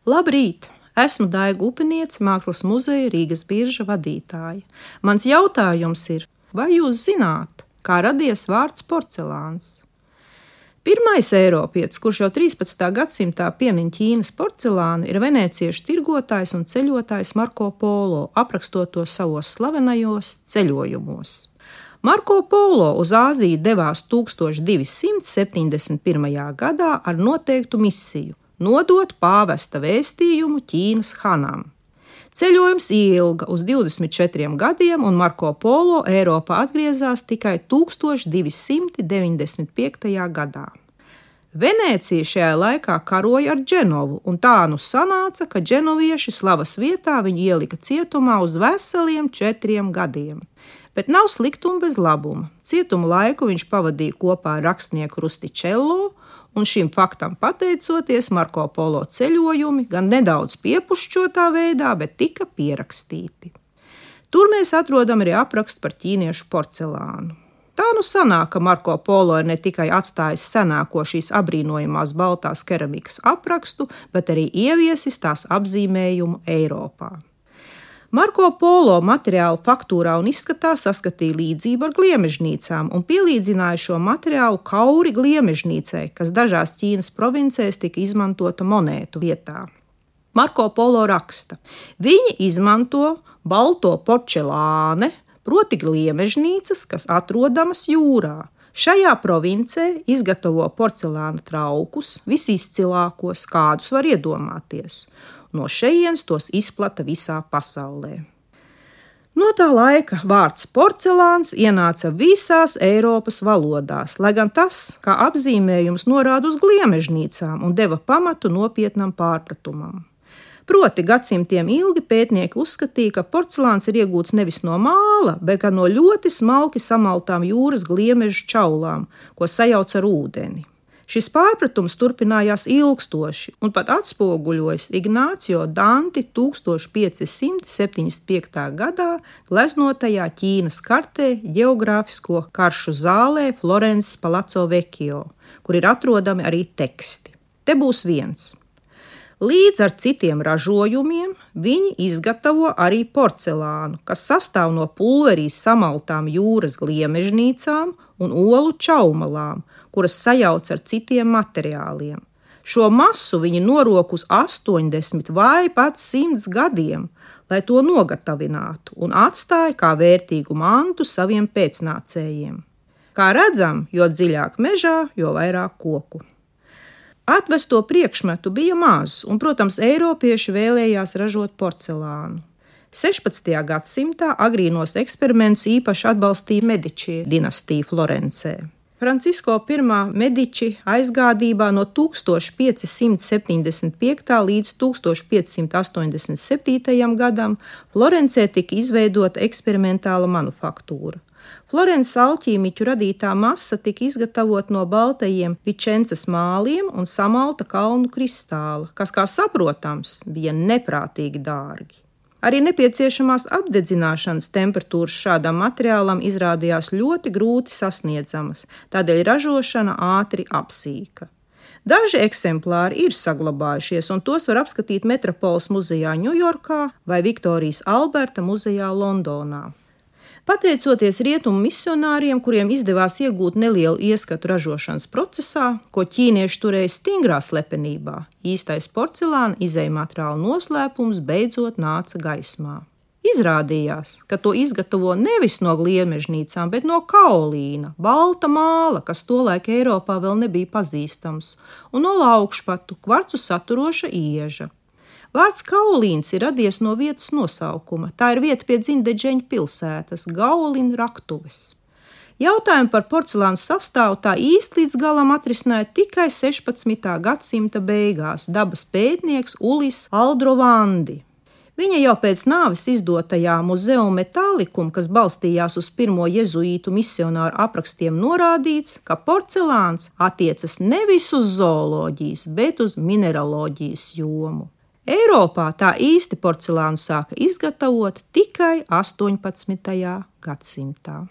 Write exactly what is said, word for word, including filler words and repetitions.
Labrīt! Esmu Daiga Upiniece, Mākslas muzeja Rīgas birža vadītāja. Mans jautājums ir, vai jūs zināt, kā radies vārds porcelāns? Pirmais eiropietis, kurš jau trīspadsmitā gadsimtā piemin Ķīnas porcelānu, ir venēciešu tirgotājs un ceļotājs Marko Polo, aprakstot to savos slavenajos ceļojumos. Marko Polo uz Āziju devās tūkstoš divi simti septiņdesmit pirmajā gadā ar noteiktu misiju – nodot pāvesta vēstījumu Ķīnas hanam. Ceļojums ilga uz divdesmit četriem gadiem, un Marko Polo Eiropā atgriezās tikai tūkstoš divi simti deviņdesmit piektajā gadā. Venēcija šajā laikā karoja ar Dženovu, un tā nu sanāca, ka dženovieši slavas vietā viņu ielika cietumā uz veseliem četriem gadiem. Bet nav sliktuma bez labuma. Cietuma laiku viņš pavadīja kopā ar rakstnieku Rustičello, un šim faktam pateicoties, Marko Polo ceļojumi gan nedaudz piepušķotā veidā, bet tika pierakstīti. Tur mēs atrodam arī aprakstu par ķīniešu porcelānu. Tā nu sanāk, ka Marko Polo ir ne tikai atstājis senāko šīs abrīnojamās baltās keramikas aprakstu, bet arī ieviesis tās apzīmējumu Eiropā. Marko Polo materiālu faktūrā un izskatā saskatīja līdzību ar gliemežnīcām un pielīdzināja šo materiālu kauri gliemežnīcai, kas dažās Ķīnas provincēs tika izmantota monētu vietā. Marko Polo raksta: viņi izmanto balto porcelāne, proti gliemežnīcas, kas atrodamas jūrā. Šajā provincē izgatavo porcelāna traukus, visizcilākos, kādus var iedomāties. No šejienes tos izplata visā pasaulē. No tā laika vārds porcelāns ienāca visās Eiropas valodās, lai gan tas, kā apzīmējums, norāda uz gliemežnīcām un deva pamatu nopietnam pārpratumam. Proti, gadsimtiem ilgi pētnieki uzskatīja, ka porcelāns ir iegūts nevis no māla, bet gan no ļoti smalki samaltām jūras gliemežu čaulām, ko sajauc ar ūdeni. Šis pārpratums turpinājās ilgstoši un pat atspoguļojas Ignācio Danti tūkstoš pieci simti septiņdesmit piektā gadā gleznotajā Ķīnas kartē ģeogrāfisko karšu zālē Florences Palazzo Vecchio, kur ir atrodami arī teksti. Te būs viens. Līdz ar citiem ražojumiem viņi izgatavo arī porcelānu, kas sastāv no pulverī samaltām jūras gliemežnīcām un olu čaumalām, kuras sajauc ar citiem materiāliem. Šo masu viņi norok uz astoņdesmit vai pat simts gadiem, lai to nogatavinātu un atstāja kā vērtīgu mantu saviem pēcnācējiem. Kā redzam, jo dziļāk mežā, jo vairāk koku. Atvesto priekšmetu bija maz, un, protams, eiropieši vēlējās ražot porcelānu. sešpadsmitajā gadsimtā agrīnos eksperimentus īpaši atbalstīja Mediči dinastija Florencē. Francisko I Mediči aizgādībā no tūkstoš pieci simti septiņdesmit piektā līdz tūkstoš pieci simti astoņdesmit septītajam gadam Florencē tika izveidota eksperimentāla manufaktūra. Florences alķīmiķu radītā masa tika izgatavot no baltajiem Vičencas māliem un samalta kalnu kristāla, kas, kā saprotams, bija neprātīgi dārgi. Arī nepieciešamās apdedzināšanas temperatūras šādam materiālam izrādījās ļoti grūti sasniedzamas, tādēļ ražošana ātri apsīka. Daži eksemplāri ir saglabājušies, un tos var apskatīt Metropoles muzejā Ņujorkā vai Viktorijas Alberta muzejā Londonā. Pateicoties rietumu misionāriem, kuriem izdevās iegūt nelielu ieskatu ražošanas procesā, ko ķīnieši turēja stingrā slepenībā, īstais porcelāna izejmateriāla noslēpums beidzot nāca gaismā. Izrādījās, ka to izgatavo nevis no gliemežnīcām, bet no kaolīna, balta māla, kas tolaik Eiropā vēl nebija pazīstams, un no laukšpatu, kvarcu saturoša ieža. Vārds kaolīns ir radies no vietas nosaukuma. Tā ir vieta pie Dzindedžeņu pilsētas, Gaolin raktuves. Jautājumu par porcelāna sastāvu tā īsti līdz galam atrisināja tikai sešpadsmitā gadsimta beigās dabas pētnieks Ulis Aldrovandi. Viņa jau pēc nāves izdotajā Muzeum Metallicum, kas balstījās uz pirmo jezuītu misionāru aprakstiem, norādīts, ka porcelāns attiecas nevis uz zooloģijas, bet uz mineraloģijas jomu. Eiropā tā īsti porcelānu sāka izgatavot tikai astoņpadsmitajā gadsimtā.